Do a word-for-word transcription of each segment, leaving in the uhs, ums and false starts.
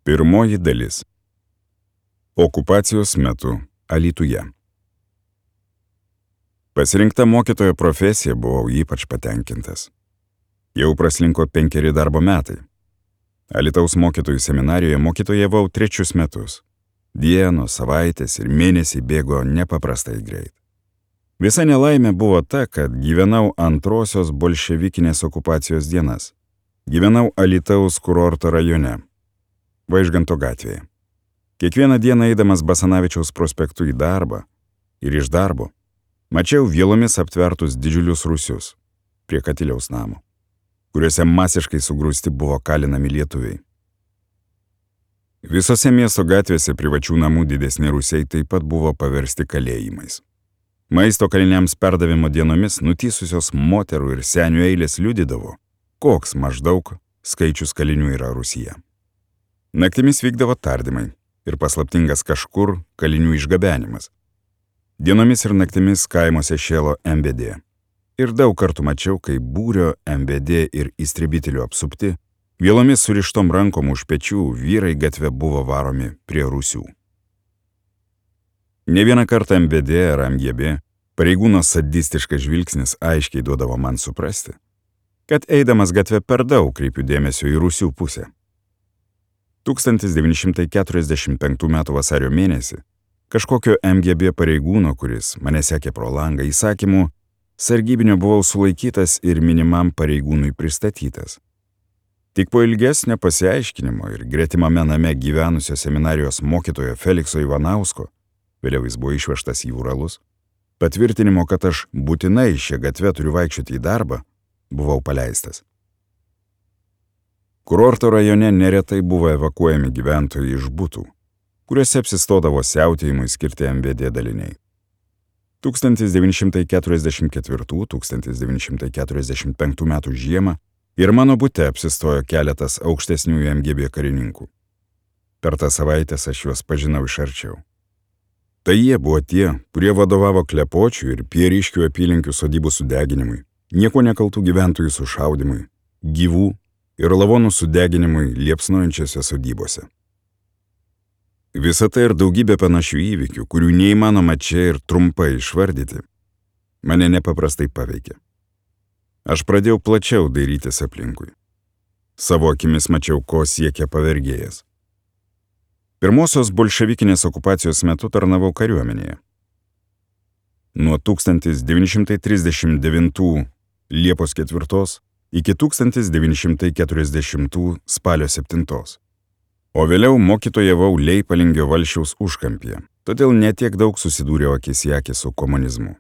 Pirmoji dalis. Okupacijos metu Alytuje. Pasirinkta mokytojo profesija buvau ypač patenkintas. Jau praslinko penkeri darbo metai. Alytaus mokytojų seminarijoje mokytojavau trečius metus. Dienos, savaitės ir mėnesiai bėgo nepaprastai greit. Visa nelaimė buvo ta, kad gyvenau antrosios bolševikinės okupacijos dienas. Gyvenau Alytaus kurorto rajone, Vaižganto gatvėje. Kiekvieną dieną eidamas Basanavičiaus prospektu į darbą ir iš darbo, mačiau vielomis aptvertus didžiulius rūsius prie Katiliaus namo, kuriuose masiškai sugrūsti buvo kalinami lietuviai. Visose miesto gatvėse privačių namų didesni rūsiai taip pat buvo paversti kalėjimais. Maisto kaliniams perdavimo dienomis nutysusios moterų ir senių eilės liudydavo, koks maždaug skaičius kalinių yra Rusija. Naktimis vykdavo tardymai ir paslaptingas kažkur kalinių išgabenimas. Dienomis ir naktimis kaimuose šėlo M B D. Ir daug kartų mačiau, kai būrio M B D ir įstribitelių apsupti, vielomis surištom rankom už pečių vyrai gatve buvo varomi prie rūsių. Ne vieną kartą M B D ar M G B pareigūno sadistiškas žvilgsnis aiškiai duodavo man suprasti, kad eidamas gatve per daug kreipiu dėmesio į rūsių pusę. tūkstantis devyni šimtai keturiasdešimt penktų metų vasario mėnesį kažkokio M G B pareigūno, kuris mane sekė pro langą įsakymu, sargybinio buvau sulaikytas ir minimam pareigūnui pristatytas. Tik po ilgesnio pasiaiškinimo ir gretimame name gyvenusio seminarijos mokytojo Felikso Ivanausko, vėliau jis buvo išvežtas į Uralus, patvirtinimo, kad aš būtinai šią gatvę turiu vaikščioti į darbą, buvau paleistas. Kurorto rajone neretai buvo evakuojami gyventojai iš butų, kuriuose apsistodavo siautėjimui skirti M B D daliniai. tūkstantis devyni šimtai keturiasdešimt ketvirtų - tūkstantis devyni šimtai keturiasdešimt penktų metų žiemą ir mano bute apsistojo keletas aukštesniųjų M G B karininkų. Per tą savaitės aš juos pažinau iš arčiau. Tai jie buvo tie, kurie vadovavo Klepočių ir Pieriškių apylinkių sodybų sudeginimui, nieko nekaltų gyventojų sušaudimui, gyvų ir lavonų sudeginimui liepsnojančiose sodybose. Visa tai ir daugybė panašių įvykių, kurių neįmanoma čia ir trumpai išvardyti, mane nepaprastai paveikė. Aš pradėjau plačiau dairytis aplinkui. Savo akimis mačiau, ko siekia pavergėjas. Pirmosios bolševikinės okupacijos metu tarnavau kariuomenėje. Nuo tūkstantis devyni šimtai trisdešimt devintų Liepos ketvirtos iki tūkstantis devyni šimtai keturiasdešimtų spalio septintos. O vėliau mokytojavau Leipalingio Valsčiaus užkampyje, todėl netiek daug susidūriau akis į akį su komunizmu.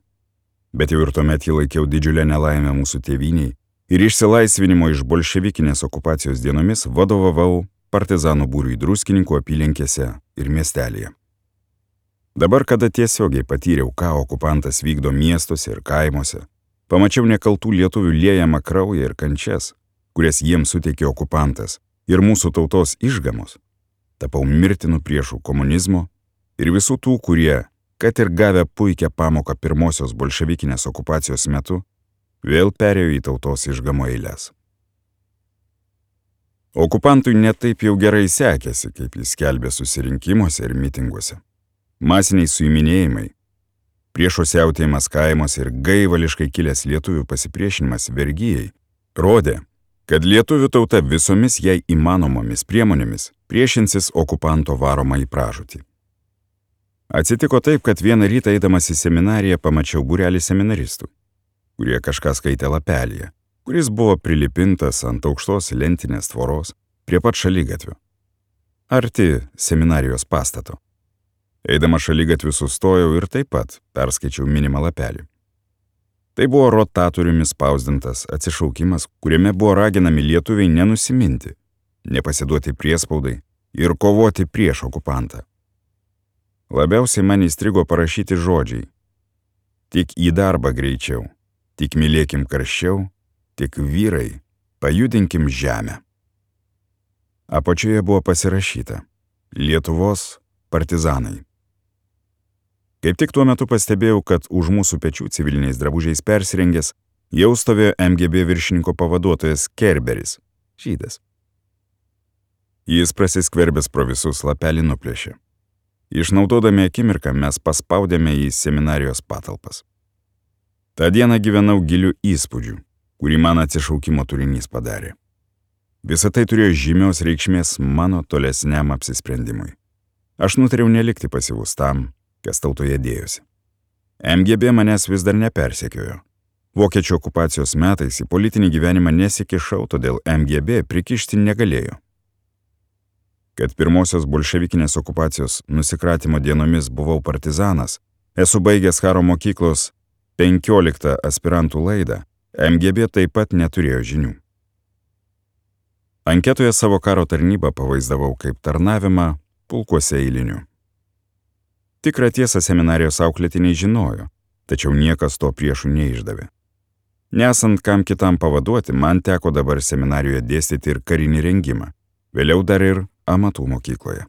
Bet jau ir tuomet jį laikiau didžiulę nelaimę mūsų tėvyniai ir išsilaisvinimo iš bolševikinės okupacijos dienomis vadovavau partizanų būriui Druskininkų apylinkėse ir miestelėje. Dabar, kada tiesiogiai patyriau, ką okupantas vykdo miestuose ir kaimuose, pamačiau nekaltų lietuvių liejamą kraują ir kančias, kurias jiems suteikė okupantas ir mūsų tautos išgamos, tapau mirtinu priešų komunizmo ir visų tų, kurie, kad ir gavę puikią pamoką pirmosios bolševikinės okupacijos metu, vėl perėjo į tautos išgamo eiles. Okupantui netaip jau gerai sekėsi, kaip jis skelbė susirinkimuose ir mitinguose. Masiniai suiminėjimai, priešo siautėjimas kaimuose ir gaivališkai kilęs lietuvių pasipriešinimas vergijai rodė, kad lietuvių tauta visomis jai įmanomomis priemonėmis priešinsis okupanto varomą į pražūtį. Atsitiko taip, kad vieną rytą eidamas į seminariją pamačiau būrelį seminaristų, kurie kažką skaitė lapelyje, kuris buvo prilipintas ant aukštos lentinės tvoros prie pat šaligatvio, arti seminarijos pastato. Eidama šaligatviu sustojau ir taip pat perskaičiau minimą lapelį. Tai buvo rotatoriumi spausdintas atsišaukimas, kuriame buvo raginami lietuviai nenusiminti, nepasiduoti priespaudai ir kovoti prieš okupantą. Labiausiai man įstrigo parašyti žodžiai: tik į darbą greičiau, tik mylėkim karščiau, tik vyrai, pajudinkim žemę. Apačioje buvo pasirašyta: Lietuvos partizanai. Kaip tik tuo metu pastebėjau, kad už mūsų pečių civiliniais drabužiais persirengęs jau stovėjo M G B viršininko pavaduotojas Kerberis, žydas. Jis prasiskverbęs pro visus lapelį nuplėšė. Išnaudodami akimirką mes paspaudėme į seminarijos patalpas. Ta diena gyvenau gilių įspūdžių, kurį man atsišaukimo turinys padarė. Visą tai turėjo žymios reikšmės mano tolesniam apsisprendimui. Aš nutariau nelikti pasyvus tam, kas tautoje dėjosi. M G B manęs vis dar nepersekiojo. Vokiečių okupacijos metais į politinį gyvenimą nesikišau, todėl M G B prikišti negalėjo. Kad pirmosios bolševikinės okupacijos nusikratimo dienomis buvau partizanas, esu baigęs karo mokyklos penkioliktą aspirantų laidą, M G B taip pat neturėjo žinių. Anketoje savo karo tarnybą pavaizdavau kaip tarnavimą pulkuose eilinių. Tikrą tiesą seminarijos auklėtiniai žinojo, tačiau niekas to priešų neišdavė. Nesant kam kitam pavaduoti, man teko dabar seminarijoje dėstyti ir karinį rengimą, vėliau dar ir amatų mokykloje.